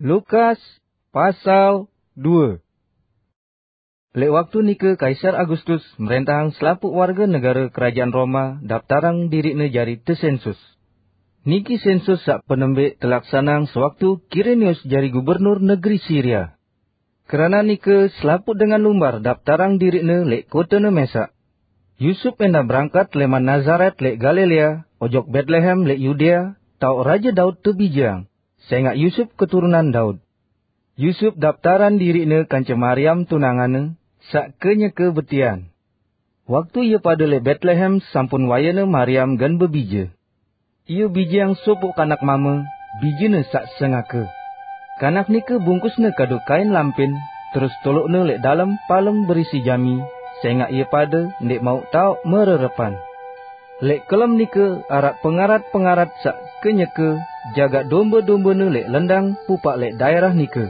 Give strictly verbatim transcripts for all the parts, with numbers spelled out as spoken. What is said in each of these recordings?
Lukas pasal dua. Lek waktu nike Kaisar Agustus merentahang selapuq warga negare kerajaan Roma daptarang diriqne jari tesensus. Niki sensus saq penembek telaksaneang sewaktu Kirenius jari gubernur negeri Siria. Kerana nike selapuq dengan lumbar daptarang diriqne leq kotene mesaq. Yusuf endah berangkat leman Nazaret leq Galilea ojok Betlehem leq Yudea, taoq Raje Daud tebijeang, sengaq Yusuf keturunan Daud. Yusuf daptaran diriqne kance Mariam tunanganne, saq kenyeke betian. Waktu ie pade leq Betlehem, sampun wayene Mariam gen bebije. Ie bijeang sopoq kanak mame, bijene saq sengake. Kanak nike bungkusne kadu kain lampin, terus toloqne leq dalem palung berisi jami, sengaq ie pade ndeq mauq taoq mererepan. Leq kelem nike araq pengarat-pengarat saq kenyeke jagaq dombe-dombene leq lendang pupaq leq daerah nike.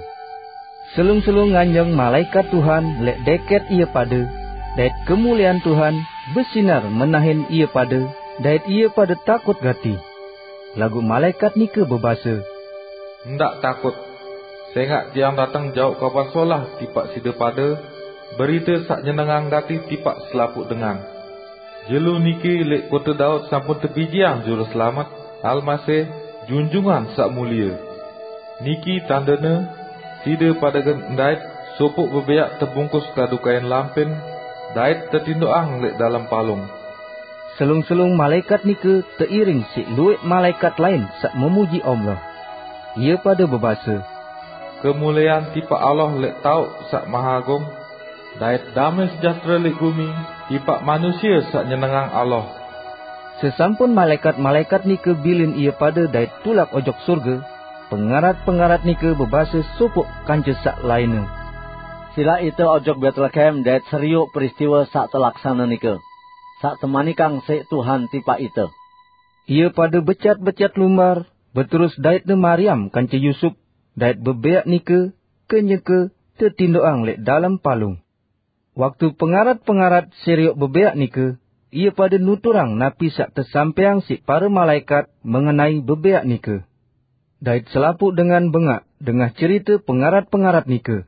Selung-selung nganjeng malaekat Tuhan leq deket ie pade, dait kemuliean Tuhan besinar menahin ie pade, dait ie pade takut gati. Laguq malaekat nike bebase, "Ndaq takut, sengaq tiang dateng jauq Kabar Solah tipaq side pade, berite saq nyenengang gati tipaq selapuq dengan. Jelo niki leq kote Daud sampun tebijeang Juruselamet, Almasih, Junjungan Saq Mulie. Niki tandene: side pade gen ndait sopoq bebeaq tebungkus kadu kain lampin, dait tetindoqang leq dalem palung." Selung-selung malaekat nike teiring siq lueq malaekat lain saq memuji Allah. Ie pade bebase, "Kemuliean tipaq Allah leq taoq Saq Mahagung, dait dame sejahtere leq gumi tipaq manusie saq nyenengang Allah." Sesampun malaekat-malaekat nike bilin ie pade dait tulak ojok surge, pengarat-pengarat nike bebase sopoq kance saq lainne, "Silaq ite ojok Betlehem dait serioq peristiwe saq telaksane nike, saq temanikang siq Tuhan tipaq ite." Ie pade becat-becat lumbar, beterus daitne Mariam kance Yusuf, dait bebeaq nike kenyeke tetindoqang leq dalem palung. Waktu pengarat-pengarat serioq bebeaq nike, ie pade nuturang napi saq tesampaiang siq pare malaekat mengenai bebeaq nike. Dait selapuq dengan bengaq dengah cerite pengarat-pengarat nike.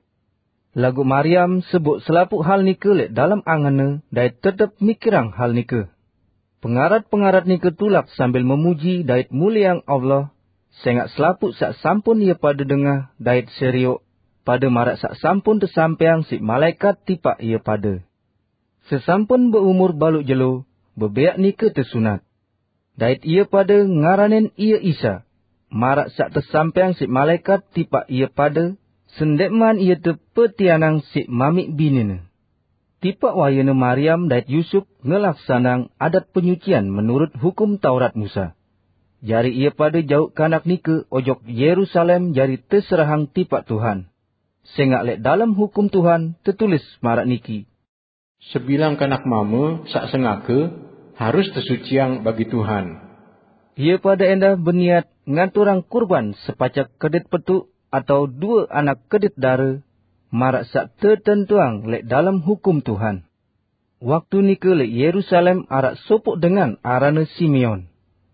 Laguq Mariam seboq selapuq hal nike leq dalem angenne dait tetep mikirang hal nike. Pengarat-pengarat nike tulak sambil memuji dait mulieang Allah, sengaq selapuq saq sampun ie pade dengah dait serioq, pade maraq saq sampun tesampaiang siq malaekat tipaq ie pade. Sesampun beumur baluq jelo, bebeaq nike tesunat. Dait ie pade ngaranin ie Isa, maraq saq tesampaiang siq malaekat tipaq ie pade, sendeqman ie tepetianang siq mamiq binine. Tipaq wayene Mariam dait Yusuf ngelaksaneang adat penyucian menurut Hukum Taurat Musa. Jari ie pade jauq kanak nike ojok Yerusalem jari teserahang tipaq Tuhan. Sengaq leq dalem Hukum Tuhan tetulis maraq niki, "Sebilang kanak mame saq sengake harus tesuciang bagi Tuhan." Ie pade endah beniat ngaturang kurban sepacek kedit petuq atau due anak kedit dare, maraq saq tetentuang leq dalem Hukum Tuhan. Waktu nike leq Yerusalem araq sopoq dengan aranne Simeon.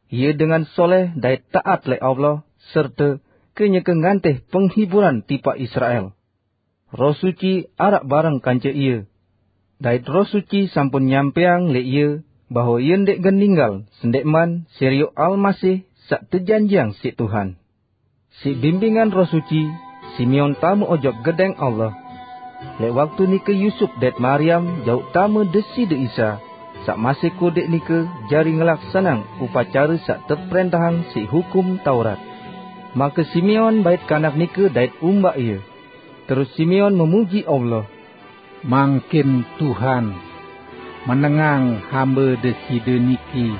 Ie dengan soleh dait taat leq Allah, serte kenyeke ngantih penghiburan tipaq Israel. Roh Suci araq bareng kance ie. Dait Roh Suci sampun nyampaiang leq ie bahwe ie ndeq gen ninggal sendeqman serioq Almasih saq tejanjiang siq Tuhan. Siq bimbingan Roh Suci, Simeon tame ojok Gedeng Allah. Leq waktu nike Yusup dait Mariam jauq tame Deside Isa, saq masih kodeq nike jari ngelaksaneang upacare saq teprentahang siq Hukum Taurat. Make Simeon bait kanak nike dait umbaq ie. Terus Simeon memuji Allah, "Mangkin Tuhan menengang hambe Deside niki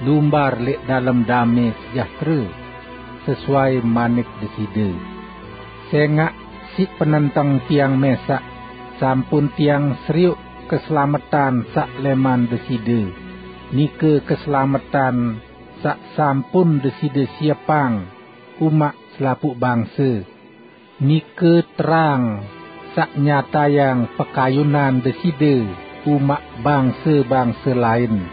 lumbar leq dalem dame sejahtere, sesuai manik Deside. Sengaq siq penenteng tiang mesaq, sampun tiang serioq keselametan saq leman Deside, nike keselametan saq sampun Deside siepang umaq selapuq bangse. Nike terang saq nyatayang pekayunan Deside umaq bangse-bangse lain,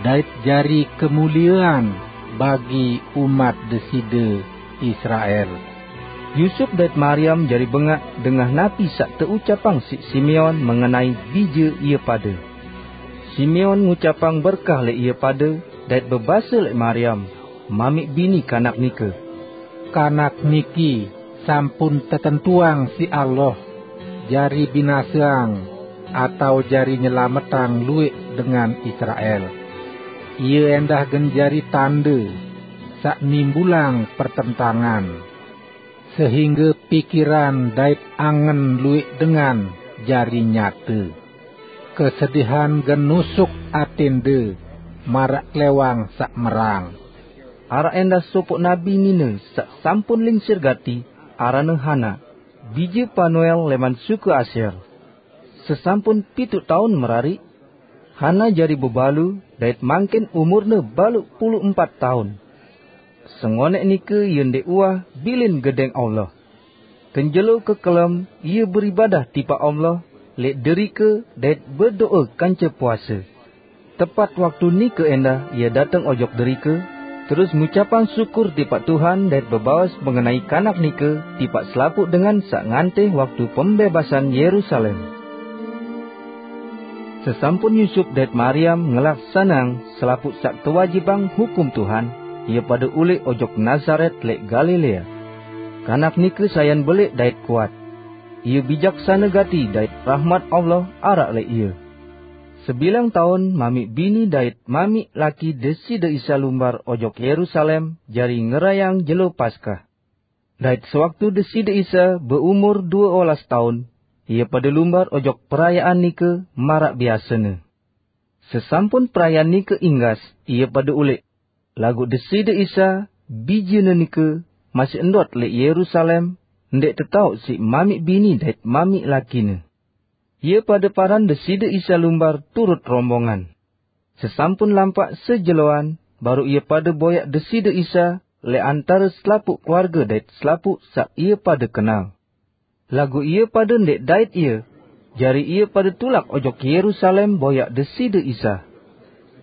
dait jari kemuliean bagi umat Deside, Israel." Yusup dait Mariam jari bengak dengah napi saq teucapang siq Simeon mengenai bije ie pade. Simeon ngucapang berkah lẽq ie pade, dait bebase lẽq Mariam, mamiq bini kanak nike, "Kanak niki sampun tetentuang siq Allah jari binaseang atao jari nyelametang lueq dengan Israel. Ie endah gen jari tande saq nimbulang pertentangan, sehingge pikiran dait angen lueq dengan jari nyate. Kesedihan gen nusuk atẽnde maraq klẽwang saq merang." Araq endah sopoq nabi nine saq sampun lingsir gati, aranne Hana, bije Panuel lẽman suku Asyer. Sesampun pituq taun merariq, Hana jari bebalu dait mangkin umurne baluq pulu empat taun. Sengonẽq nike ie ndẽq uah bilin Gedẽng Allah. Kenjelo kekelem ie beribadah tipaq Allah lẽq derike dait bedoe kance puase. Tepat waktu nike endah ie dateng ojok derike, terus ngucapang syukur tipaq Tuhan dait bebaos mengenai kanak nike tipaq selapuq dengan saq ngantih waktu pembebasan Yerusalem. Sesampun Yusup dait Mariam ngelaksaneang selapuq saq tewajibang hukum Tuhan, ie pade ulẽq ojok Nasaret lẽq Galilea. Kanak nike sayan beleq dait kuat. Ie bijaksane gati dait rahmat Allah araq lẽq ie. Sebilang taun mamiq bini dait mamiq laki Deside Isa lumbar ojok Yerusalem jari ngerayeang jelo Paskah. Dait sewaktu Deside Isa beumur due olas taun, ie pade lumbar ojok perayaan nike maraq biasene. Sesampun perayaan nike inggas, ie pade ulẽq. Laguq Deside Isa, Bijene nike, masih ndot lẽq Yerusalem, ndẽq tetaoq siq mamiq bini dait mamiq lakine. Ie pade paran Deside Isa lumbar turut rombongan. Sesampun lampaq sejeloan, baruq ie pade boyaq Deside Isa lẽq antare selapuq keluarge dait selapuq saq ie pade kenal. Laguq ie pade ndẽq dait ie, jari ie pade tulak ojok Yerusalem boyaq Deside Isa.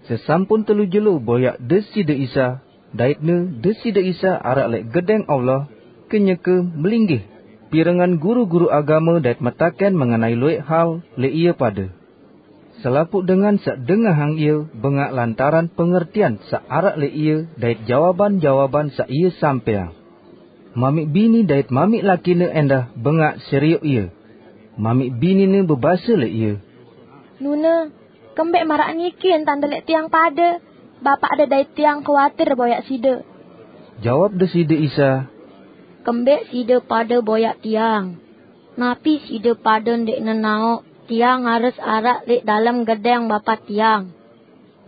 Sesampun telu jelo boyaq Deside Isa, daitne Deside Isa araq lẽq Gedẽng Allah, kenyeke melinggih, pirengan guru-guru agame dait metakẽn mengenai lueq hal lẽq ie pade. Selapuq dengan saq dengahang ie bengaq lantaran pengertian saq araq lẽq ie dait jawaban-jawaban saq ie sampẽang. Mamiq bini dait mamiq lakine endah bengaq serioq ie. Mamiq binine bebase lẽq ie, "Nune, kembẽq maraq niki entande lẽq tiang pade? Bapaqde dait tiang kuatir boyaq side." Jawab Deside Isa, "Kembẽq side pade boyaq tiang? Napi side pade ndẽq nenaoq tiang harus araq lẽq dalem gedẽng Bapa tiang?"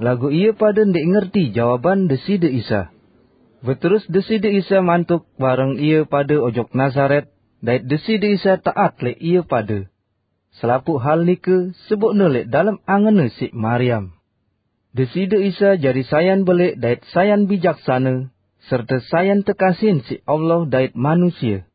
Laguq ie pade ndẽq ngerti jawaban Deside Isa. Beterus Deside Isa mantuk bareng ie pade ojok Nasaret, dait Deside Isa taat lẽq ie pade. Selapuq hal nike seboqne lẽq dalem angenne siq Mariam. Deside Isa jari sayan beleq dait sayan bijaksane, serte sayan tekasihin siq Allah dait manusie.